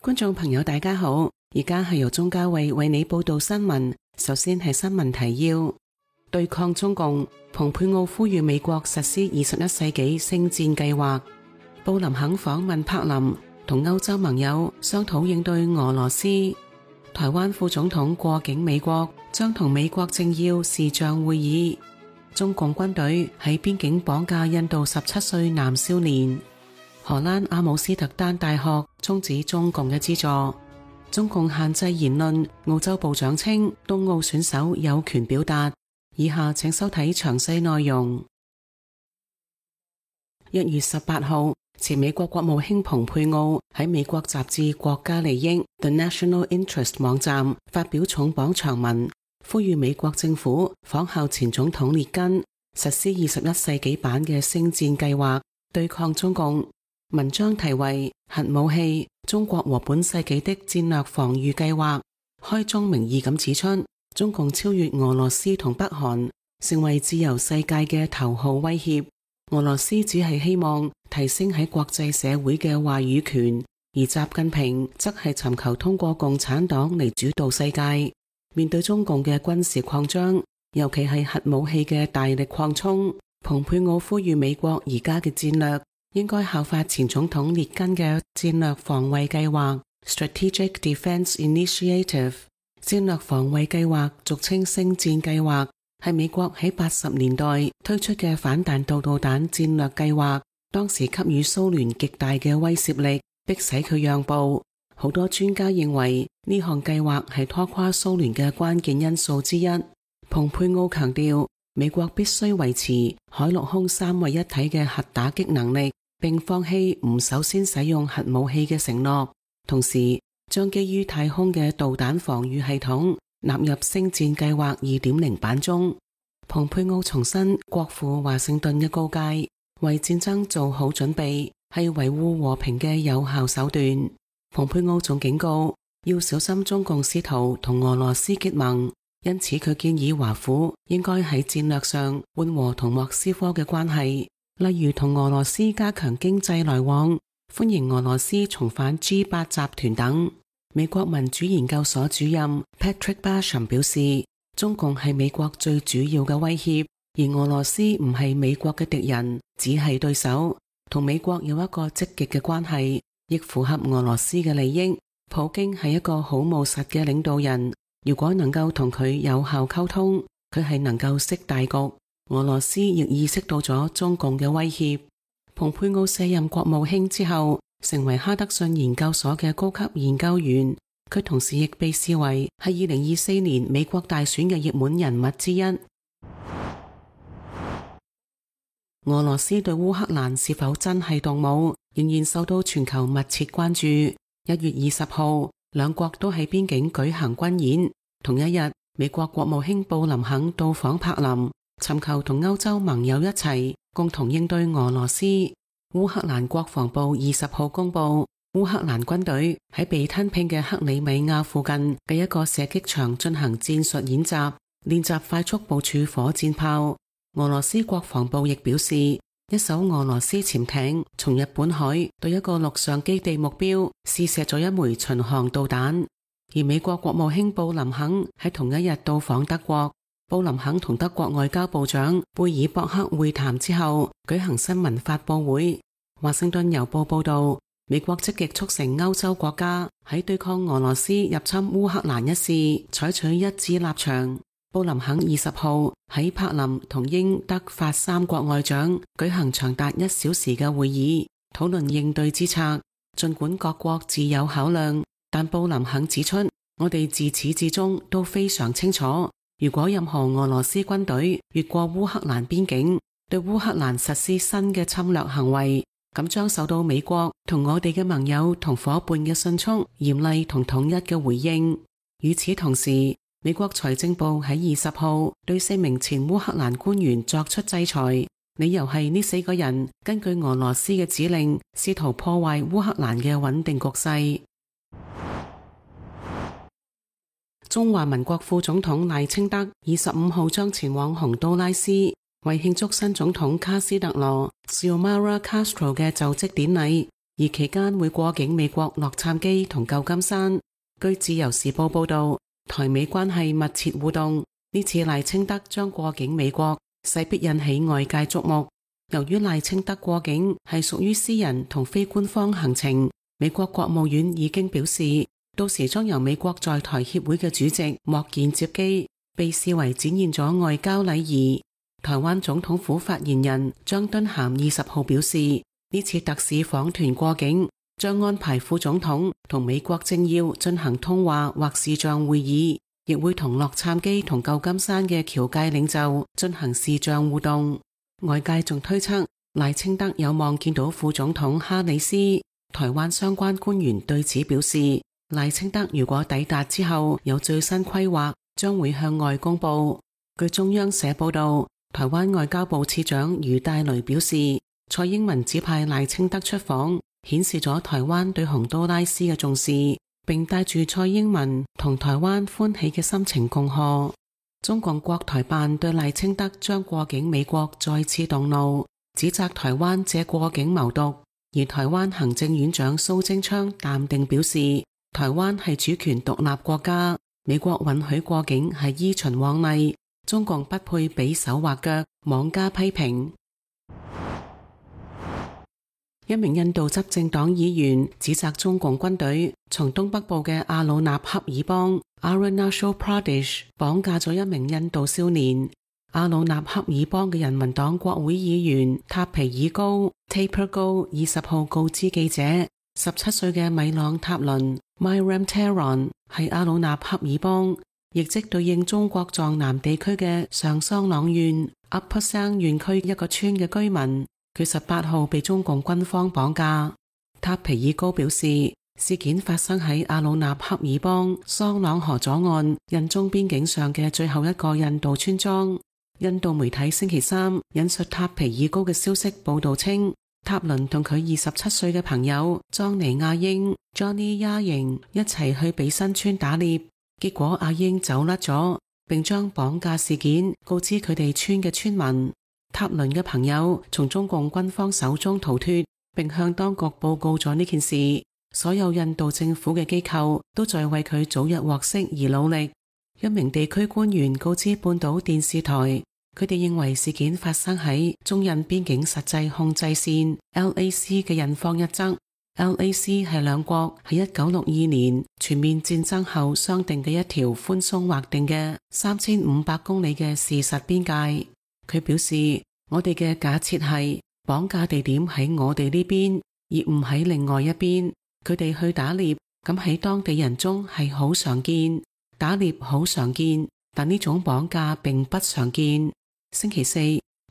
觀眾朋友大家好，而家係由鍾嘉慧為你報道新聞。首先係新聞提要：對抗中共，蓬佩奧呼籲美國實施21世紀星戰計劃；布林肯訪問柏林，同歐洲盟友商討應對俄羅斯；台灣副總統過境美國，將同美國政要視像會議；中共軍隊喺邊境綁架印度17歲男少年；荷蘭阿姆斯特丹大學終止中共嘅資助；中共限制言論，澳洲部長稱東奧選手有權表達。以下請收睇詳細內容。1月18號，前美國國務卿蓬佩奧喺美國雜誌《國家利益》The National Interest 網站發表重磅長文，呼籲美國政府仿效前總統列根，實施21世紀版嘅星戰計劃，對抗中共。文章題為《核武器：中國和本世紀的戰略防禦計劃》，開宗明義咁指出，中共超越俄羅斯同北韓，成為自由世界嘅頭號威脅。俄羅斯只係希望提升喺國際社會嘅話語權，而習近平則係尋求通過共產黨嚟主導世界。面對中共嘅軍事擴張，尤其係核武器嘅大力擴充，蓬佩奧呼籲美國而家嘅戰略應該效法前總統列根嘅戰略防衛計劃 Strategic Defense Initiative。 戰略防衛計劃俗稱星戰計劃，係美國喺80年代推出嘅反彈道導彈戰略計劃，當時給予蘇聯極大嘅威懾力，迫使佢讓步。好多專家認為呢項計劃係拖垮蘇聯嘅關鍵因素之一。蓬佩奧強調，美國必須維持海陸空三位一體嘅核打擊能力，並放棄唔首先使用核武器嘅承諾，同時將基於太空嘅導彈防禦系統納入星戰計劃 2.0 版中。蓬佩奧重申國赴華盛頓嘅告誡，為戰爭做好準備係維護和平嘅有效手段。蓬佩奧仲警告要小心中共試圖同俄羅斯結盟，因此佢建議華府應該喺戰略上緩和同莫斯科嘅關係，例如同俄羅斯加強經濟來往，歡迎俄羅斯重返 G8 集團等。美國民主研究所主任 Patrick Basham 表示，中共係美國最主要嘅威脅，而俄羅斯唔係美國嘅敵人，只係對手，同美國有一個積極嘅關係，亦符合俄羅斯嘅利益。普京係一個好務實嘅領導人，如果能夠同佢有效溝通，佢係能夠識大局。俄羅斯亦意識到咗中共嘅威脅。蓬佩奧卸任國務卿之後，成為哈德遜研究所嘅高級研究員，佢同時亦被視為係2024年美國大選嘅熱門人物之一。俄羅斯對烏克蘭是否真係動武，仍然受到全球密切關注。1月20號，兩國都喺邊境舉行軍演。同一日，美國國務卿布林肯到訪柏林，尋求同歐洲盟友一齊共同應對俄羅斯。烏克蘭國防部20號公布，烏克蘭軍隊喺被吞併嘅克里米亞附近嘅一個射擊場進行戰術演習，練習快速部署火箭炮。俄羅斯國防部亦表示，一艘俄羅斯潛艇從日本海對一個陸上基地目標試射咗一枚巡航導彈。而美國國務卿布林肯喺同一日到訪德國，布林肯同德國外交部長貝爾博克會談之後舉行新聞發佈會。華盛頓郵報報道，美國積極促成歐洲國家喺對抗俄羅斯入侵烏克蘭一事採取一致立場。布林肯20號喺柏林同英德法三國外長舉行長達1小時嘅會議，討論應對之策。盡管各國自有考量，但布林肯指出，我哋自始至終都非常清楚，如果任何俄羅斯軍隊越過烏克蘭邊境，對烏克蘭實施新嘅侵略行為，咁將受到美國同我哋嘅盟友同伙伴嘅迅速、嚴厲同統一嘅回應。與此同時，美國財政部喺20號對4名前烏克蘭官員作出制裁，理由係呢4個人根據俄羅斯嘅指令，試圖破壞烏克蘭嘅穩定局勢。中華民國副總統賴清德25號將前往洪都拉斯，為慶祝新總統卡斯特羅 Xiomara Castro 嘅就職典禮，而期間會過境美國洛杉磯同舊金山。據自由時報報道，台美關係密切互動，呢次賴清德將過境美國，勢必引起外界矚目。由於賴清德過境係屬於私人同非官方行程，美國國務院已經表示，到時將由美國在台協會嘅主席莫健接機，被視為展現咗外交禮儀。台灣總統府發言人張敦涵20號表示，呢次特使訪團過境，將安排副總統同美國政要進行通話或視像會議，亦會同洛杉磯同舊金山嘅僑界領袖進行視像互動。外界仲推測賴清德有望見到副總統哈里斯。台灣相關官員對此表示，賴清德如果抵達之後有最新規劃，將會向外公布。據中央社報道，台灣外交部次長余大雷表示，蔡英文指派賴清德出訪，顯示咗台灣對洪都拉斯嘅重視，並帶住蔡英文同台灣歡喜嘅心情恭賀。中共國台辦對賴清德將過境美國再次動怒，指責台灣借過境謀獨。而台灣行政院長蘇貞昌淡定表示，台灣係主權獨立國家，美國允許過境係依循往例，中共不配比手畫腳，妄加批評。一名印度執政黨議員指責中共軍隊從東北部嘅阿魯納恰爾邦 Arunachal Pradesh 綁架咗一名印度少年。阿魯納恰爾邦嘅人民黨國會議員塔皮爾高 Taper 高20號告知記者，17歲嘅米朗塔倫 Myram Taron 係阿魯納恰爾邦，亦即對應中國藏南地區嘅上桑朗縣 Upper Sang 縣區一個村嘅居民。佢18號被中共軍方綁架。塔皮爾高表示，事件發生喺阿魯納恰爾邦桑朗河左岸印中邊境上嘅最後一個印度村莊。印度媒體星期三引述塔皮爾高嘅消息報道稱，塔倫同佢27歲嘅朋友莊尼亞英 Johnny Yang 一齊去比新村打獵，結果阿英走甩咗，並將綁架事件告知佢哋村嘅村民。塔倫嘅朋友從中共軍方手中逃脫，並向當局報告咗呢件事。所有印度政府嘅機構都在為佢早日獲釋而努力。一名地區官員告知半島電視台，佢哋認為事件發生喺中印邊境實際控制線 LAC 嘅印方一側。LAC 係兩國喺1962年全面戰爭後商定嘅一條寬鬆劃定嘅3500公里嘅事實邊界。佢表示，我哋嘅假設係綁架地點喺我哋呢邊，而唔喺另外一邊。佢哋去打獵，咁喺當地人中係好常見，打獵好常見，但呢種綁架並不常見。星期四，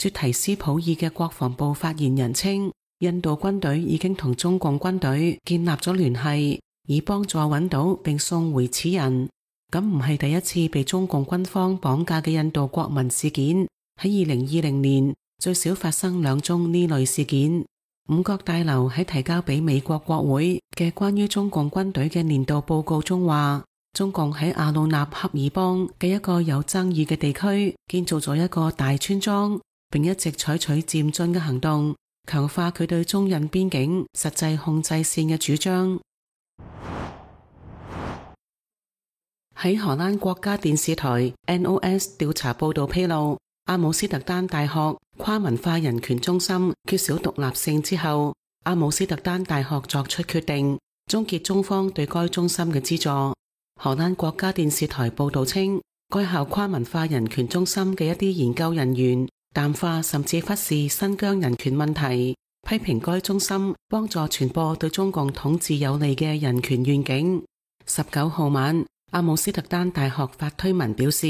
絕提斯普爾嘅國防部發言人稱，印度軍隊已經同中共軍隊建立咗聯繫，以幫助揾到並送回此人。咁唔係第一次被中共軍方綁架嘅印度國民事件。喺2020年最少發生2宗呢類事件。五角大樓喺提交俾美國國會嘅關於中共軍隊嘅年度報告中話，中共喺阿魯納恰爾邦嘅一個有爭議嘅地區建造咗一個大村莊，並一直採取漸進嘅行動，強化佢對中印邊境實際控制線嘅主張。喺荷蘭國家電視台 NOS 調查報道披露，阿姆斯特丹大學跨文化人權中心缺少獨立性之後，阿姆斯特丹大學作出決定，終結中方對該中心嘅資助。荷蘭國家電視台報道稱，該校跨文化人權中心嘅一啲研究人員淡化甚至忽視新疆人權問題，批評該中心幫助傳播對中共統治有利嘅人權願景。19號晚，阿姆斯特丹大學發推文表示，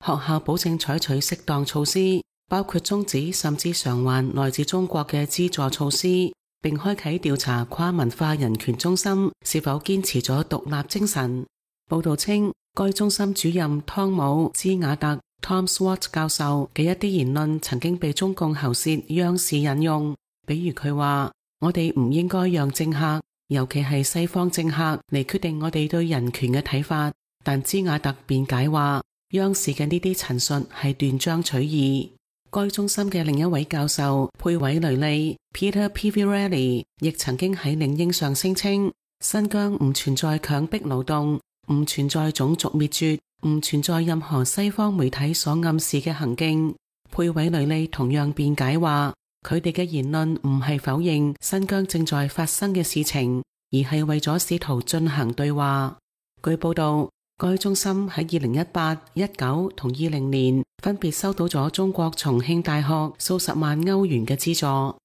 學校保證採取適當措施，包括終止甚至償還來自中國嘅資助措施，並開啟調查跨文化人權中心是否堅持咗獨立精神。報道稱，該中心主任湯姆茲瓦特 Tom Swart 教授嘅一啲言論曾經被中共喉舌央視引用，比如佢話，我哋唔應該讓政客，尤其係西方政客嚟決定我哋對人權嘅睇法。但茲瓦特辯解話，央視嘅呢啲陳述係斷章取義。該中心嘅另一位教授佩韋雷利 Peter Pivirelli 亦曾經喺領英上聲稱，新疆唔存在強迫勞動，唔存在種族滅絕，唔存在任何西方媒體所暗示嘅行徑。佩韋雷利同樣辯解話，佢哋嘅言論唔係否認新疆正在發生嘅事情，而係為咗試圖進行對話。據報道，該中心喺2018、19同20年分別收到咗中國重慶大學數十萬歐元嘅資助。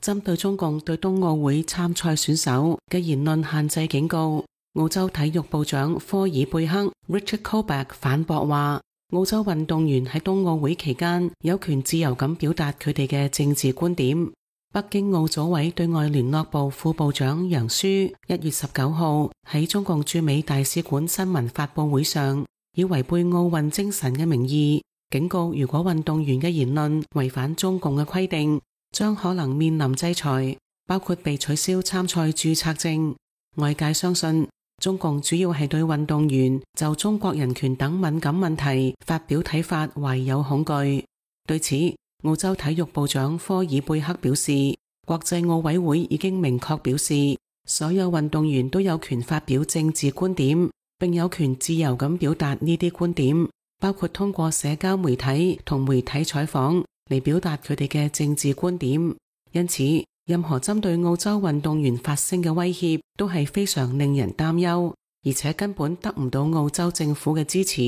針對中共對冬奧會參賽選手嘅言論限制警告，澳洲體育部長科爾貝克 Richard Colbeck 反駁話，澳洲運動員喺冬奧會期間有權自由咁表達佢哋嘅政治觀點。北京奧組委對外聯絡部副部長楊舒1月19號喺中共駐美大使館新聞發佈會上，以違背奧運精神嘅名義，警告如果運動員嘅言論違反中共嘅規定，將可能面臨制裁，包括被取消參賽註冊證。外界相信，中共主要係對運動員就中國人權等敏感問題發表睇法懷有恐懼。對此，澳洲體育部長科爾貝克表示，國際奧委會已經明確表示，所有運動員都有權發表政治觀點，並有權自由咁表達呢啲觀點，包括通過社交媒體同媒體採訪嚟表達佢哋嘅政治觀點。因此，任何針對澳洲運動員發聲嘅威脅都係非常令人擔憂，而且根本得唔到澳洲政府嘅支持。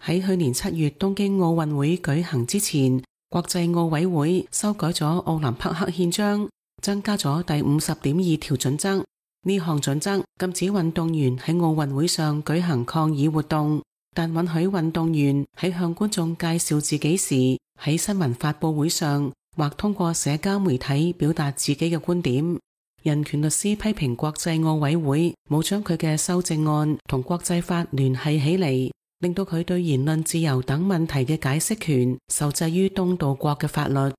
喺去年7月東京奧運會舉行之前，國際奧委會修改咗奧林匹克憲章，增加咗第50.2條準則。呢項準則禁止運動員喺奧運會上舉行抗議活動，但允許運動員喺向觀眾介紹自己時，喺新聞發佈會上或通過社交媒體表達自己嘅觀點。人權律師批評國際奧委會冇將佢嘅修正案同國際法聯繫起嚟，令到佢對言論自由等問題嘅解釋權受制於東道國嘅法律。呢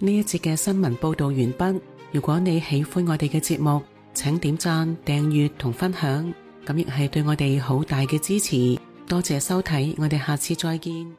一節嘅新聞報道完畢。如果你喜歡我哋嘅節目，請點讚、訂閱同分享，咁亦係對我哋好大嘅支持。多謝收睇，我哋下次再見。